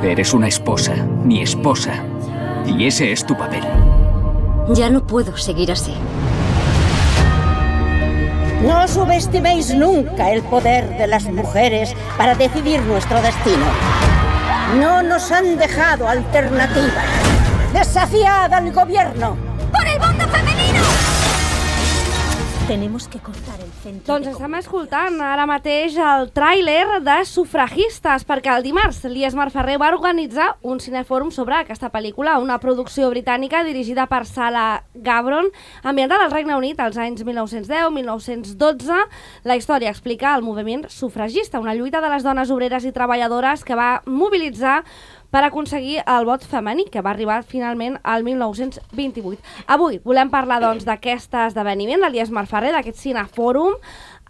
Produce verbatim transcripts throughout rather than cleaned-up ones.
Eres una esposa, mi esposa. Y ese es tu papel. Ya no puedo seguir así. No subestiméis nunca el poder de las mujeres para decidir nuestro destino. No nos han dejado alternativa. ¡Desafiad al gobierno! ¡Por el voto femenino! Tenemos que cortar el centro. Doncs estem escoltant ara mateix el tràiler de Sufragistes, perquè el dimarts l'Iesmar Ferrer va organitzar un cinefòrum sobre aquesta pel·lícula, una producció britànica dirigida per Sarah Gavron, ambientada al Regne Unit als anys mil nou-cents deu a mil nou-cents dotze. La història explica el moviment sufragista, una lluita de les dones obreres i treballadores que va mobilitzar per aconseguir el vot femení, que va arribar finalment al mil nou-cents vint-i-vuit. Avui volem parlar doncs d'aquest esdeveniment de l'Iesmar Ferrer, d'aquest cinefòrum,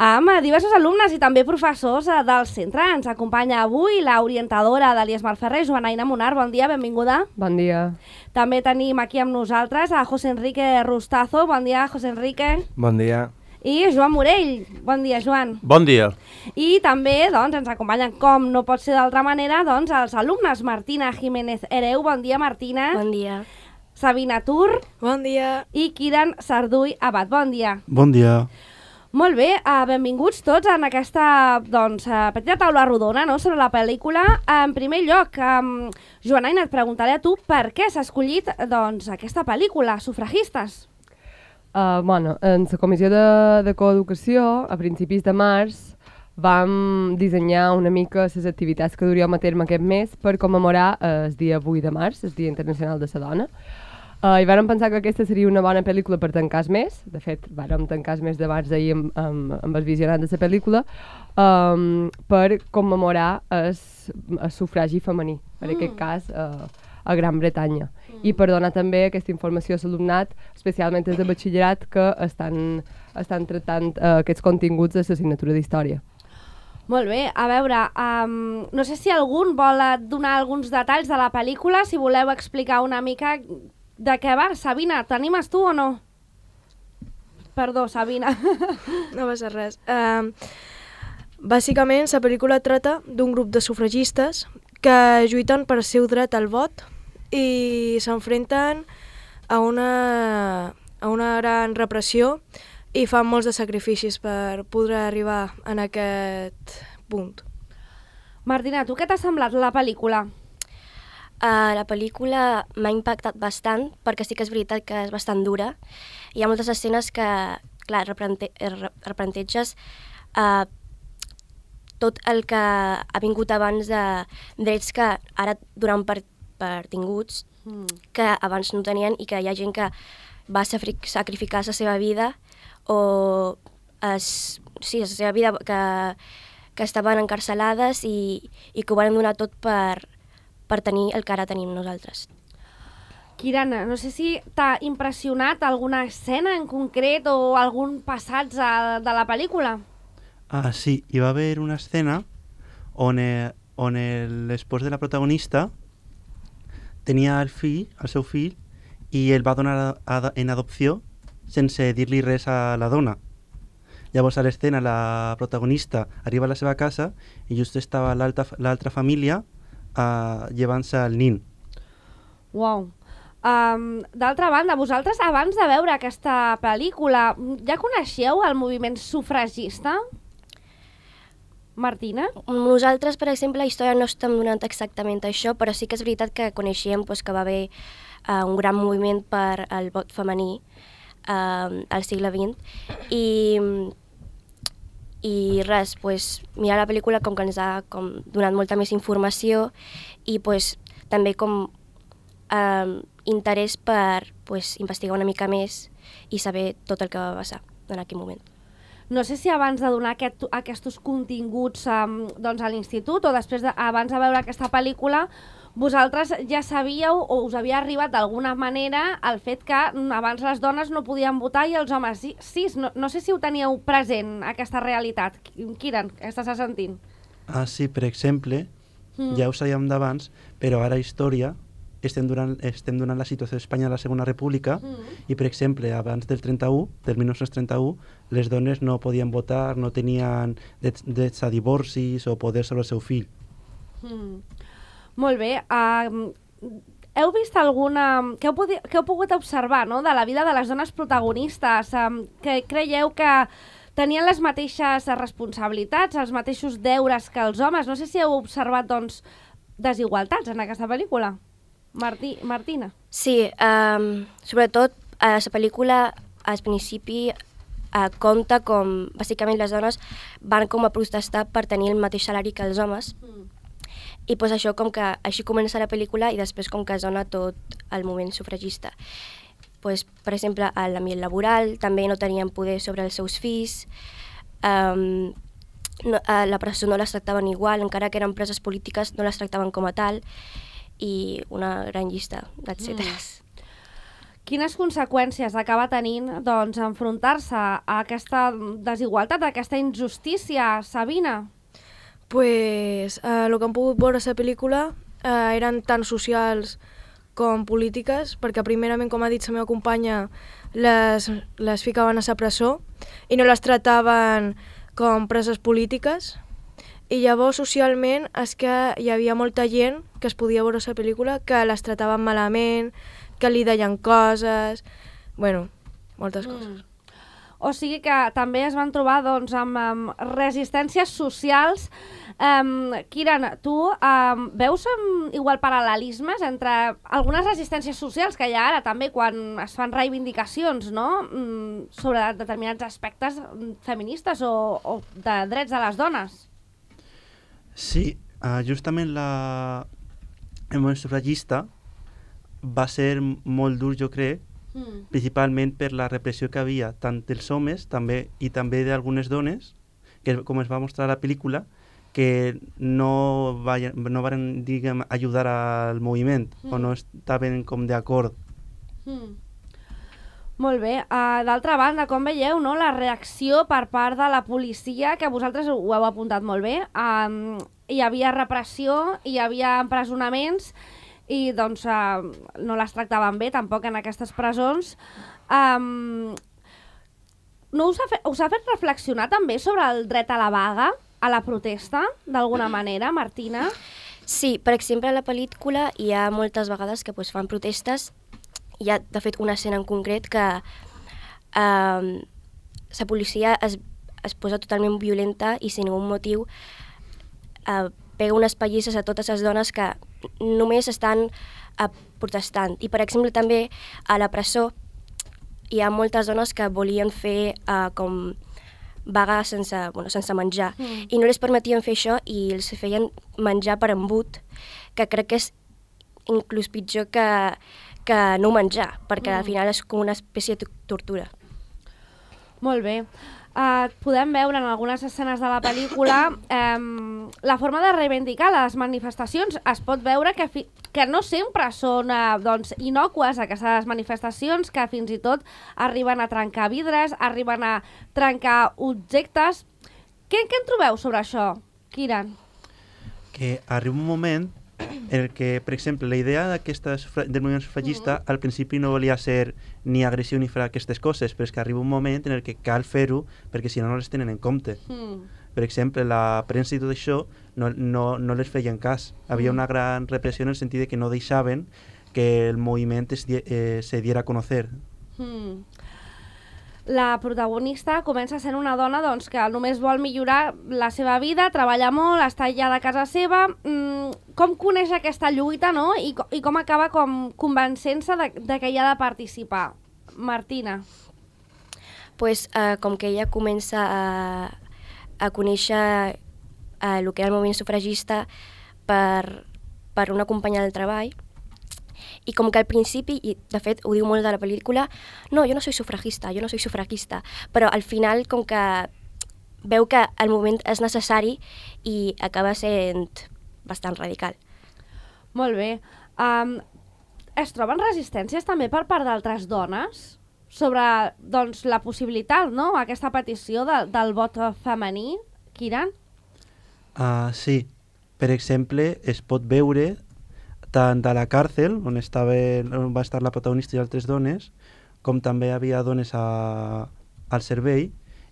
amb diversos alumnes i també professors del centre. Ens acompanya avui la orientadora de l'Iesmar Ferrer, Joanaina Monar. Bon dia, benvinguda. Bon dia. També tenim aquí amb nosaltres a José Enrique Rustazo. Bon dia, José Enrique. Bon dia. I Joan Morell. Bon dia, Joan. Bon dia. I també doncs, ens acompanyen, com no pot ser d'altra manera, doncs, els alumnes. Martina Jiménez Hereu. Bon dia, Martina. Bon dia. Sabina Tur. Bon dia. I Kiran Sarduy Abad. Bon dia. Bon dia. Molt bé, uh, benvinguts tots en aquesta doncs, uh, petita taula rodona, no?, sobre la pel·lícula. En primer lloc, um, Joanaina, et preguntaré a tu per què s'ha escollit doncs, aquesta pel·lícula, Sufragistes. Uh, bueno, en la comissió de, de coeducació, a principis de març, vam dissenyar una mica les activitats que duríem a terme aquest mes per commemorar el dia vuit de març, el Dia Internacional de la Dona. Uh, I vàrem pensar que aquesta seria una bona pel·lícula per tancar el mes. De fet, vàrem tancar el mes de març ahir amb, amb, amb el visionat de la pel·lícula, um, per commemorar el, el sufragi femení, per mm. aquest cas uh, a Gran Bretanya. Mm. I per donar també aquesta informació a l'alumnat, especialment des de batxillerat, que estan, estan tractant uh, aquests continguts de l'assignatura d'història. Molt bé, a veure, um, no sé si algun vol donar alguns detalls de la pel·lícula, si voleu explicar una mica de què va. Sabina, t'animes tu o no? Perdó, Sabina. No passa res. Uh, bàsicament, la pel·lícula trata d'un grup de sufragistes que lluiten per el seu dret al vot i s'enfrenten a una, a una gran repressió i fan molts de sacrificis per poder arribar en aquest punt. Martina, tu què t'ha semblat la pel·lícula? Uh, la pel·lícula m'ha impactat bastant perquè sí que és veritat que és bastant dura. Hi ha moltes escenes que, clar, replante replanteges uh, tot el que ha vingut abans de drets que ara donen per, per tinguts, mm. que abans no tenien, i que hi ha gent que va sacrificar la seva vida o es, sí, la seva vida que, que estaven encarcelades i, i que ho van donar tot per, per tenir el que ara tenim nosaltres. Kirana, no sé si t'ha impressionat alguna escena en concret o algun passatge de la pel·lícula? Ah, sí, hi va haver una escena on, eh, on l'espòs de la protagonista tenia el fill, el seu fill, i el va donar a, a, en adopció sense dir-li res a la dona. Llavors a l'escena la protagonista arriba a la seva casa i just estava l'altra família uh, llevant-se el nin. Uau. Um, D'altra banda, vosaltres abans de veure aquesta pel·lícula ja coneixeu el moviment sufragista? Martina? Nosaltres, per exemple, la història no estem donant exactament això, però sí que és veritat que coneixíem pues, que va haver uh, un gran moviment per al vot femení uh, al segle vint i, i res, pues, mirar la pel·lícula com que ens ha com, donat molta més informació i pues, també com uh, interès per pues, investigar una mica més i saber tot el que va passar en aquell moment. No sé si abans de donar aquest, aquests continguts um, doncs a l'institut o després de, abans de veure aquesta pel·lícula, vosaltres ja sabíeu o us havia arribat d'alguna manera el fet que abans les dones no podien votar i els homes sí. sí no, no sé si ho teníeu present, aquesta realitat. Kiran, què estàs sentint? Ah, sí, per exemple, mm. ja ho sabíem d'abans, però ara història estem donant, estem donant la situació d'Espanya a la Segona República mm. i, per exemple, abans del trenta-u, del mil nou-cents trenta-u, les dones no podien votar, no tenien drets, drets a divorcis o poder sobre el seu fill. Mm. Molt bé. Uh, heu vist alguna... Què heu, podi... què heu pogut observar, no?, de la vida de les dones protagonistes? Um, que creieu que tenien les mateixes responsabilitats, els mateixos deures que els homes? No sé si heu observat, doncs, desigualtats en aquesta pel·lícula. Martí, Martina. Sí, um, sobretot a la pel·lícula al principi uh, compta com bàsicament les dones van com a protestar per tenir el mateix salari que els homes. Mm. I pues això com que així comença la pel·lícula i després com que es dona tot el moviment sufragista. Pues, per exemple, a l'ambient laboral també no tenien poder sobre els seus fills, um, no, a la presó no les tractaven igual, encara que eren preses polítiques no les tractaven com a tal, i una gran llista d'etcèteres. Mm. Quines conseqüències acaba tenint, doncs, enfrontar-se a aquesta desigualtat, a aquesta injustícia, Sabina? Pues eh, el que hem pogut veure a la pel·lícula eh, eren tant socials com polítiques, perquè primerament, com ha dit la meva companya, les, les ficaven a la presó i no les tractaven com preses polítiques. I llavors, socialment, és que hi havia molta gent que es podia veure a la pel·lícula que les trataven malament, que li deien coses... Bueno, moltes coses. Mm. O sigui que també es van trobar, doncs, amb, amb resistències socials. Um, Kiran, tu um, veus um, igual paral·lelismes entre algunes resistències socials que hi ha ara també quan es fan reivindicacions, no?, um, sobre determinats aspectes feministes o, o de drets de les dones? Sí, uh, justament la... el moviment sufragista va ser molt dur, jo crec, mm. principalment per la repressió que havia tant dels homes també i també d'algunes dones, que com es va mostrar a la pel·lícula, que no, vayan, no van, diguem, ajudar al moviment mm. o no estaven com d'acord. Mm. Molt bé. Uh, D'altra banda, com veieu, no, la reacció per part de la policia, que vosaltres ho heu apuntat molt bé, um, hi havia repressió, hi havia empresonaments i doncs uh, no les tractaven bé tampoc en aquestes presons. Um, no us ha, fet, us ha fet reflexionar també sobre el dret a la vaga, a la protesta, d'alguna manera, Martina? Sí, per exemple, a la pel·lícula hi ha moltes vegades que pues, fan protestes. Hi ha, de fet, una escena en concret que eh, la policia es, es posa totalment violenta i sin ningú motiu eh, pega unes pallisses a totes les dones que només estan eh, protestant. I, per exemple, també a la presó hi ha moltes dones que volien fer eh, com vaga sense, bueno, sense menjar. Mm. I no les permetien fer això i els feien menjar per embut, que crec que és inclús pitjor que que no menjar, perquè mm. al final és com una espècie de tortura. Molt bé. Uh, podem veure en algunes escenes de la pel·lícula um, la forma de reivindicar les manifestacions. Es pot veure que, fi que no sempre són uh, doncs, innocues aquestes manifestacions, que fins i tot arriben a trencar vidres, arriben a trencar objectes. Què, què en trobeu sobre això, Kiran? Que arriba un moment en el que, per exemple, la idea del moviment sufragista mm. al principi no volia ser ni agressió ni fer aquestes coses, però és que arriba un moment en el que cal fer-ho perquè si no no les tenen en compte. Mm. Per exemple, la premsa i tot això no, no, no les feien cas. Havia mm. una gran repressió en el sentit de que no deixaven que el moviment es, eh, se diera a conocer. Mm. La protagonista comença sent una dona doncs, que només vol millorar la seva vida, treballa molt, està aïllada a casa seva. Mm, com coneix aquesta lluita, no? I, i com acaba com convencent-se de, de que hi ha de participar? Martina. Pues, uh, com que ella comença a, a conèixer uh, el que era el moviment sufragista per, per una companya del treball, i com que al principi, i de fet ho diu molt de la pel·lícula, no, jo no soy sufragista, jo no soy sufragista, però al final com que veu que el moviment és necessari i acaba sent bastant radical. Molt bé. Um, es troben resistències també per part d'altres dones sobre doncs, la possibilitat, no?, aquesta petició de, del vot femení, Kiran? Uh, sí. Per exemple, es pot veure tant a la càrcel, on, estava, on va estar la protagonista i altres dones, com també havia dones a, al servei,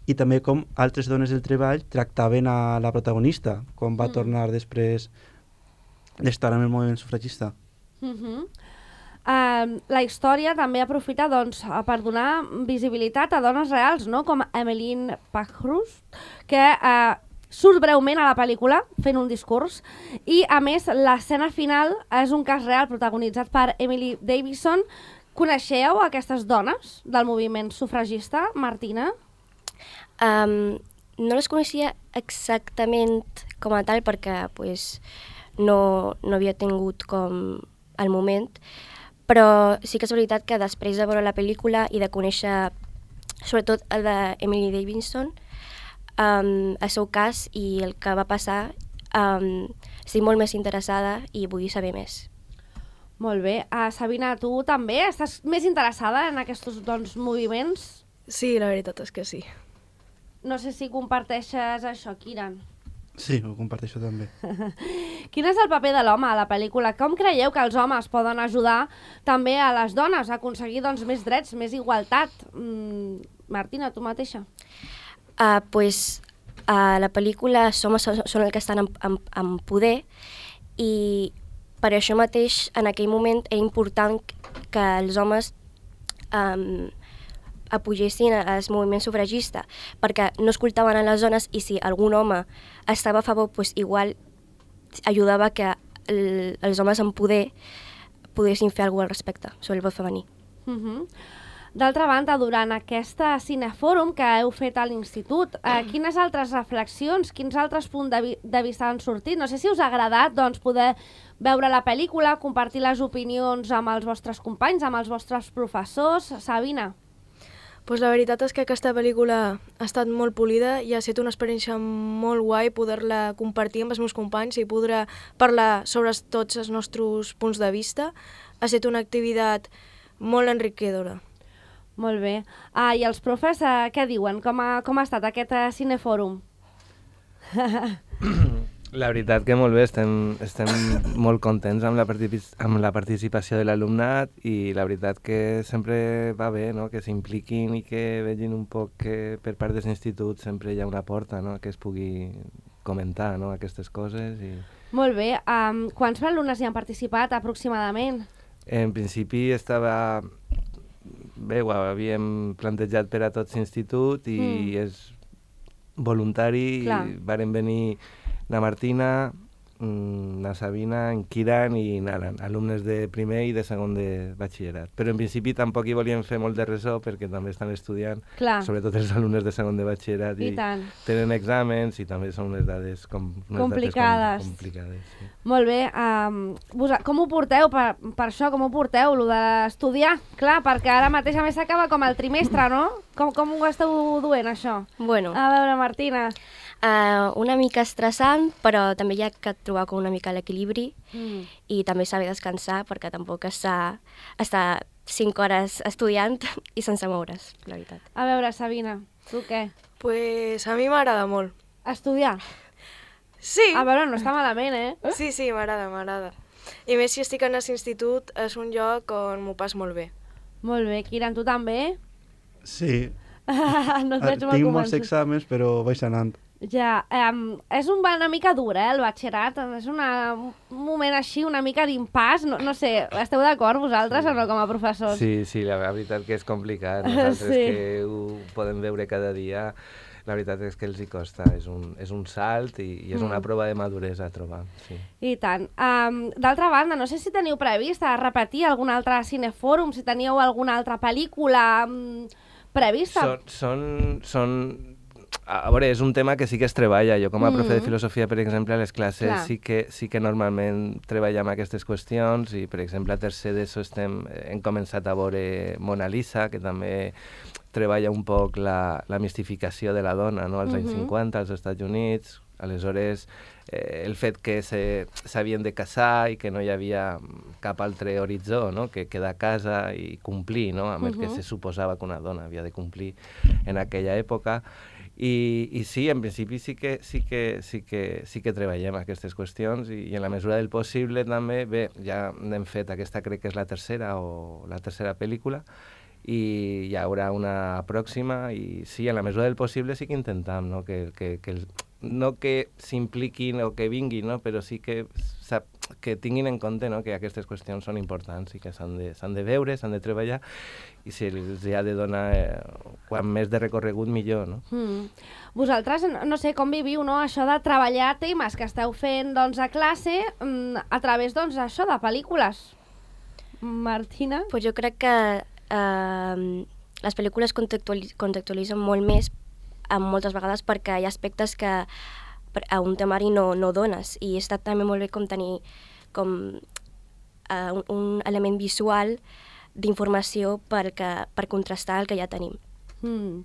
i també com altres dones del treball tractaven a la protagonista, quan va mm. tornar després d'estar amb el moviment sufragista. Uh -huh. uh, la història també aprofita doncs, per donar visibilitat a dones reals, no? Com Emmeline Pankhurst, que uh, surt breument a la pel·lícula fent un discurs, i a més l'escena final és un cas real protagonitzat per Emily Davison. Coneixeu aquestes dones del moviment sufragista, Martina? Um, no les coneixia exactament com a tal perquè pues, no, no havia tingut com el moment, però sí que és veritat que després de veure la pel·lícula i de conèixer sobretot el d'Emily Davison, um, el seu cas i el que va passar, um, estic molt més interessada i vull saber més. Molt bé. Uh, Sabina, tu també estàs més interessada en aquests doncs, moviments? Sí, la veritat és que sí. No sé si comparteixes això, Kiran. Sí, ho comparteixo també. Quin és el paper de l'home a la pel·lícula? Com creieu que els homes poden ajudar també a les dones a aconseguir doncs, més drets, més igualtat? Mm, Martina, tu mateixa. Uh, pues, a la pel·lícula els homes són, són els que estan en, en, en poder i per això mateix en aquell moment era important que els homes um, apugessin al moviment sufragista, perquè no escoltaven a les dones i si algun home estava a favor, pues igual ajudava que el, els homes en poder poguessin fer alguna cosa al respecte sobre el vot femení. Uh-huh. D'altra banda, durant aquesta cinefòrum que heu fet a l'institut, eh, quines altres reflexions, quins altres punts de, vi de vista han sortit? No sé si us ha agradat doncs, poder veure la pel·lícula, compartir les opinions amb els vostres companys, amb els vostres professors. Sabina? Pues la veritat és que aquesta pel·lícula ha estat molt polida i ha estat una experiència molt guai poder-la compartir amb els meus companys i poder parlar sobre tots els nostres punts de vista. Ha estat una activitat molt enriquidora. Molt bé. Ah, i els profes, eh, què diuen? Com ha, com ha estat aquest eh, cinefòrum? La veritat que molt bé, estem, estem molt contents amb la, amb la participació de l'alumnat i la veritat que sempre va bé, no? Que s'impliquin i que vegin un poc que per part dels instituts sempre hi ha una porta, no? Que es pugui comentar, no? Aquestes coses. I... Molt bé. Um, quants alumnes hi han participat aproximadament? En principi estava... Bé, ho havíem plantejat per a tots l'institut i mm. és voluntari. Clar. I varen venir na Martina, na Sabina, en Kiran i Nalan, alumnes de primer i de segon de batxillerat. Però en principi tampoc hi volíem fer molt de ressò perquè també estan estudiant, Clar. sobretot els alumnes de segon de batxillerat, i, i tenen exàmens i també són unes dades com, unes complicades. Dades com, complicades sí. Molt bé. Um, vos, com ho porteu per, per això? Com ho porteu, lo d'estudiar? Clar, perquè ara mateix a més s'acaba com el trimestre, no? Com, com ho esteu duent, això? Bueno. A veure, Martina. Uh, una mica estressant, però també hi ha que trobar com una mica l'equilibri mm. i també saber descansar perquè tampoc està, està cinc hores estudiant i sense moure's, la veritat. A veure, Sabina, tu què? Pues a mi m'agrada molt. Estudiar? Sí. A veure, no està malament, eh? Sí, sí, m'agrada, m'agrada. I més si estic en l'institut, és un lloc on m'ho pas molt bé. Molt bé. Kiran, tu també? Sí. No et veig molt Tinc molts exàmens, però vaig anant. Ja, um, és un, una mica dur, eh, el batxillerat, és una, un moment així, una mica d'impàs, no, no sé, esteu d'acord vosaltres sí. o no com a professors? Sí, sí, la veritat que és complicat, nosaltres sí. que ho podem veure cada dia, la veritat és que els hi costa, és un, és un salt i, i és una mm. prova de maduresa a trobar. Sí. I tant. Um, D'altra banda, no sé si teniu previst a repetir algun altre cinefòrum, si teníeu alguna altra pel·lícula um, prevista. Són... són, són A veure, és un tema que sí que es treballa. Jo com a profe mm. de filosofia, per exemple, a les classes sí que, sí que normalment treballem aquestes qüestions i, per exemple, a tercer d'ESO estem, hem començat a veure Mona Lisa, que també treballa un poc la, la mistificació de la dona, no? Als mm-hmm. anys cinquanta, als Estats Units. Aleshores, eh, el fet que s'havien de casar i que no hi havia cap altre horitzó, no? Que quedar a casa i complir, no? Amb el mm-hmm. que se suposava que una dona havia de complir en aquella època. I, i sí, en principi sí que, sí, que, sí, que, sí que treballem aquestes qüestions i, i en la mesura del possible també, bé, ja hem fet aquesta, crec que és la tercera o la tercera pel·lícula i hi haurà una pròxima i sí, en la mesura del possible sí que intentem, no que, que, que, el, no que s'impliquin o que vinguin, no? Però sí que sap, que tinguin en compte, no?, que aquestes qüestions són importants i que s'han de, s'han de veure, s'han de treballar, i si els ha de donar eh, quan més de recorregut millor, no? Mm. Vosaltres, no sé, com viviu, no?, això de treballar temes que esteu fent, doncs, a classe mm, a través, doncs, això de pel·lícules. Martina? Pues jo crec que eh, les pel·lícules contextualitzen molt més eh, moltes vegades perquè hi ha aspectes que a un temari no, no dones, i està també molt bé com tenir com, uh, un, un element visual d'informació per, que, per contrastar el que ja tenim. Mm.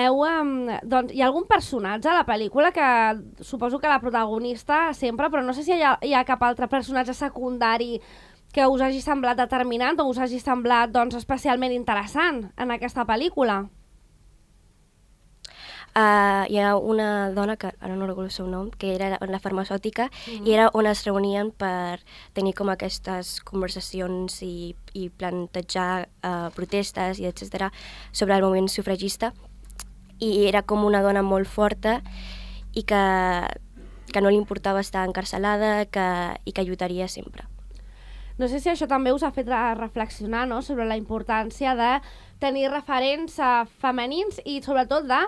Heu, um, doncs, hi ha algun personatge a la pel·lícula que suposo que la protagonista sempre, però no sé si hi ha, hi ha cap altre personatge secundari que us hagi semblat determinant o us hagi semblat doncs, especialment interessant en aquesta pel·lícula? Uh, hi ha una dona, que ara no recordo el seu nom, que era la farmacèutica, mm-hmm. i era on es reunien per tenir com aquestes conversacions i, i plantejar uh, protestes i etcètera sobre el moviment sufragista, i era com una dona molt forta i que, que no li importava estar encarcelada que, i que lluitaria sempre. No sé si això també us ha fet reflexionar, no?, sobre la importància de tenir referents uh, femenins i sobretot de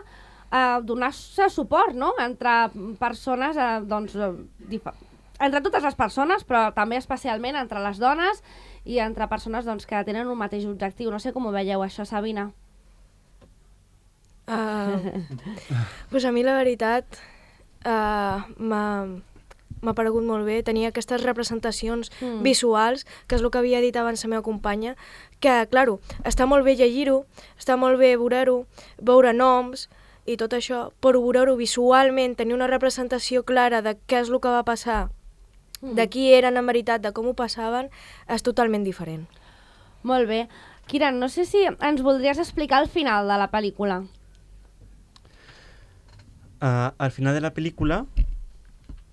Uh, donar-se suport, no?, entre persones, uh, doncs, uh, entre totes les persones, però també especialment entre les dones i entre persones doncs, que tenen un mateix objectiu. No sé com ho veieu, això, Sabina. Uh, pues a mi la veritat uh, m'ha m'ha paregut molt bé tenir aquestes representacions mm. visuals, que és el que havia dit abans la meva companya, que, claro, està molt bé llegir-ho, està molt bé veure-ho, veure noms, i tot això, però veure-ho visualment, tenir una representació clara de què és el que va passar, mm. de qui eren en veritat, de com ho passaven, és totalment diferent. Molt bé. Kiran, no sé si ens voldries explicar el final de la pel·lícula. Uh, al final de la pel·lícula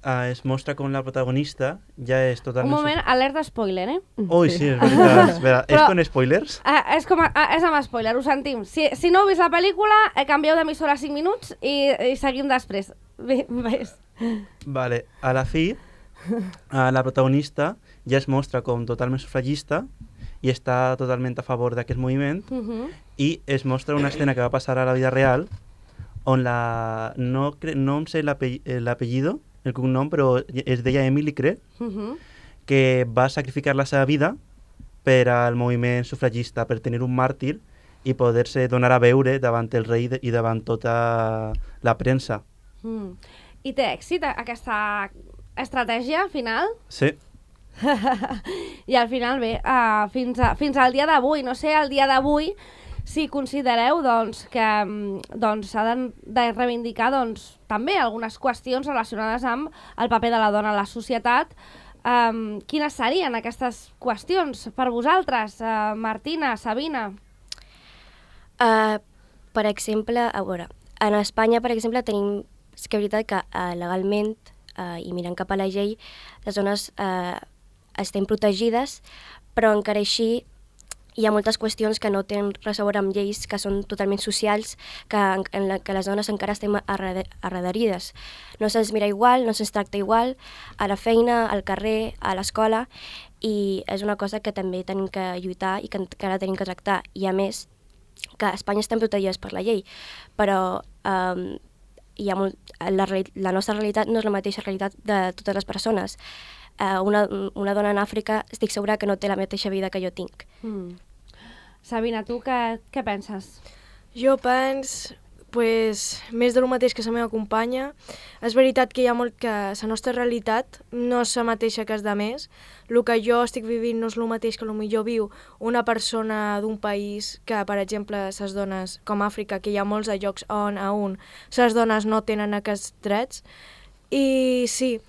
uh, es mostra com la protagonista ja és totalment... Un moment, alerta spoiler, eh? Ui, sí, és veritat. Espera, Però, és con spoilers? Uh, és, com a, uh, és amb spoiler, ho sentim. Si, si no heu vist la pel·lícula, eh, canvieu d'emissora cinc minuts i, i seguim després. Bé, ves. Vale, a la fi, uh, la protagonista ja es mostra com totalment sufragista i està totalment a favor d'aquest moviment, uh -huh. i es mostra una escena que va passar a la vida real on la... no, cre... no em sé l'apellido, el cognom, però es deia Emily, crec, uh -huh. que va sacrificar la seva vida per al moviment sufragista, per tenir un màrtir i poder-se donar a veure davant el rei i davant tota la premsa. Mm. I té èxit aquesta estratègia final? Sí. I al final, bé, uh, fins, a, fins al dia d'avui, no sé, al dia d'avui, si considereu doncs, que doncs, s'ha de, de reivindicar doncs, també algunes qüestions relacionades amb el paper de la dona a la societat, um, quines serien aquestes qüestions per vosaltres, uh, Martina, Sabina? Uh, per exemple, a veure, en Espanya, per exemple, tenim, és que és veritat que uh, legalment, uh, i mirant cap a la llei, les dones uh, estem protegides, però encara així hi ha moltes qüestions que no tenen res a veure amb lleis, que són totalment socials, que, en la que les dones encara estem arrederides. No se'ns mira igual, no se'ns tracta igual, a la feina, al carrer, a l'escola, i és una cosa que també tenim que lluitar i que encara tenim que tractar. I a més, que a Espanya estem protegides per la llei, però um, hi ha molt, la, la nostra realitat no és la mateixa realitat de totes les persones. Uh, una, una dona en Àfrica estic segura que no té la mateixa vida que jo tinc. Mm. Sabina, tu què, què penses? Jo penso, pues, més de lo mateix que la meva companya. És veritat que hi ha molt que la nostra realitat no és la mateixa que és de més. El que jo estic vivint no és el mateix que potser viu una persona d'un país que, per exemple, les dones, com Àfrica, que hi ha molts llocs on, a un, les dones no tenen aquests drets. I sí,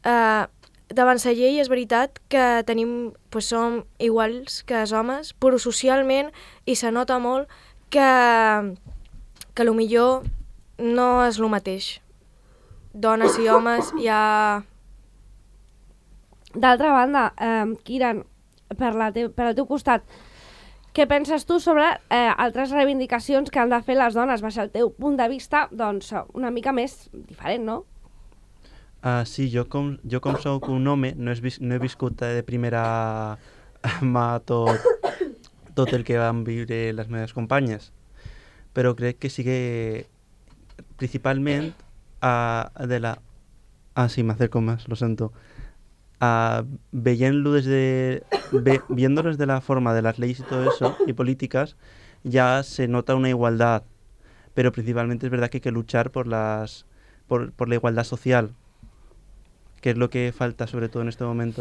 uh, davant la llei és veritat que tenim, pues, som iguals que els homes, però socialment i se nota molt que, que potser no és el mateix. Dones i homes hi ha... D'altra banda, eh, Kiran, per, la te per al teu costat, què penses tu sobre eh, altres reivindicacions que han de fer les dones, baix el teu punt de vista, doncs una mica més diferent, no? Uh, sí, jo com, jo com soc un home no, vis, no he viscut de primera mà tot, tot el que van viure les meves companyes, però crec que sí que principalment uh, de la... Ah, sí, me acerco más, lo siento. Uh, Veient-lo desde... Ve, viéndolo desde la forma de las leyes y todo eso, y políticas, ya se nota una igualdad, pero principalmente es verdad que hay que luchar por, las, por, por la igualdad social, que és el que falta sobretot en aquest moment.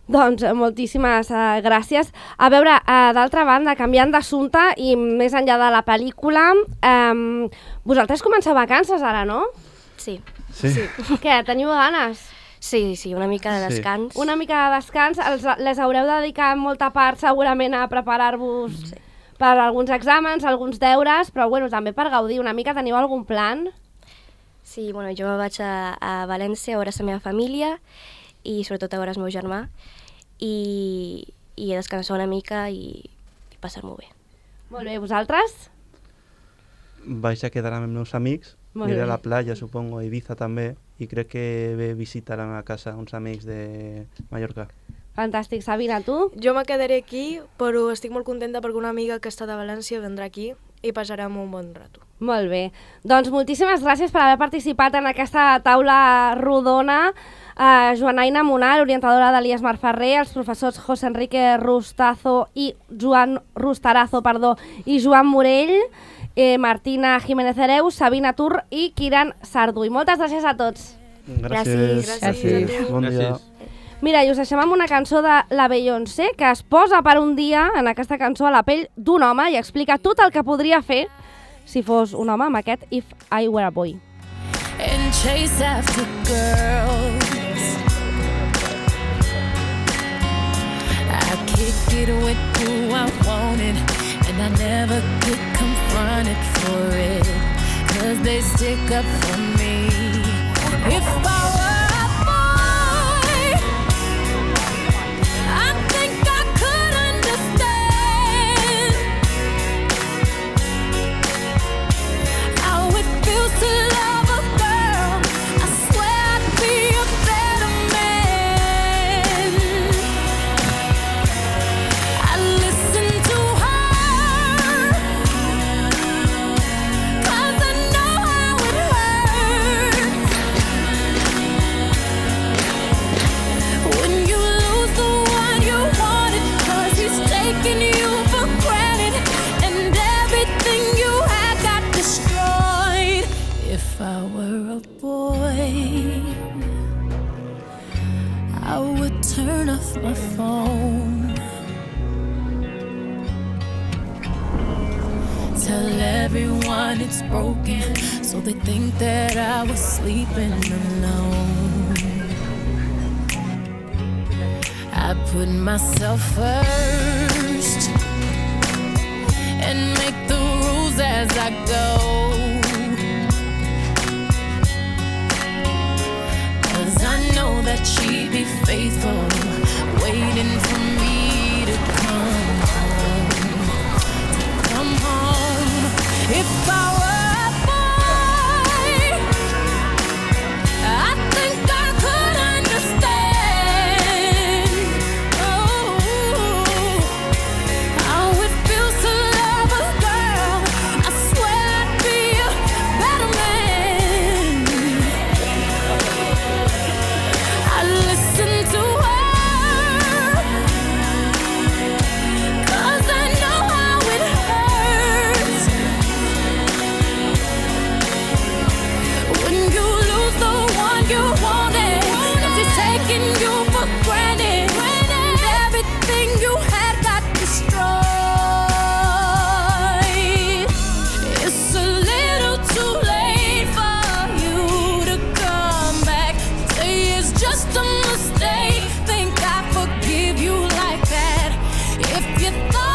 Doncs moltíssimes uh, gràcies. A veure, uh, d'altra banda, canviant d'assumpte i més enllà de la pel·lícula, um, vosaltres comenceu vacances ara, no? Sí. Sí. sí. Què, teniu ganes? Sí, sí, una mica de descans. Sí. Una mica de descans. Els, les haureu de dedicar molta part segurament a preparar-vos sí. per alguns exàmens, alguns deures, però bueno, també per gaudir una mica. Teniu algun plan? Sí, bueno, jo vaig a, a València a veure la meva família i sobretot a veure el meu germà i, i a descansar una mica i, i passar-m'ho bé. Molt bé, vosaltres? Vaig a quedar amb els meus amics, iré a la platja, supongo, a Ibiza també, i crec que ve visitar a la casa uns amics de Mallorca. Fantàstic. Sabina, tu? Jo me quedaré aquí, però estic molt contenta perquè una amiga que està de València vendrà aquí i passarem un bon rato. Molt bé. Doncs moltíssimes gràcies per haver participat en aquesta taula rodona. Uh, Joanaina Munar, orientadora de l'I E S Marferrer, els professors José Enrique Rustazo i Joan Rustarazo, perdó, i Joan Morell, eh, Martina Jiménez Hereu, Sabina Tur i Kiran Sarduy. Moltes gràcies a tots. Gràcies. Gràcies. Gràcies. Bon dia. Mira, i us deixem amb una cançó de la Beyoncé que es posa per un dia en aquesta cançó a la pell d'un home i explica tot el que podria fer si fos un home amb aquest If I Were a Boy. And chase after girls I kick it with who I wanted and I never get confronted for it cause they stick up for me. If I were If I were a boy, I would turn off my phone. Tell everyone it's broken, so they think that I was sleeping alone. I put myself first and make the rules as I go. I know that she'd be faithful, waiting for me to come home, to come home. If I were a boy, I think I could understand. Oh, how it feels to love a girl. I swear I'd be a better man. Listen to her, 'cause I know how it hurts when you lose the one you wanted, 'cause he's taking you for granted, and everything you had got destroyed. It's a little too late for you to come back. Say it's just a mistake. Think I forgive you like that? If you thought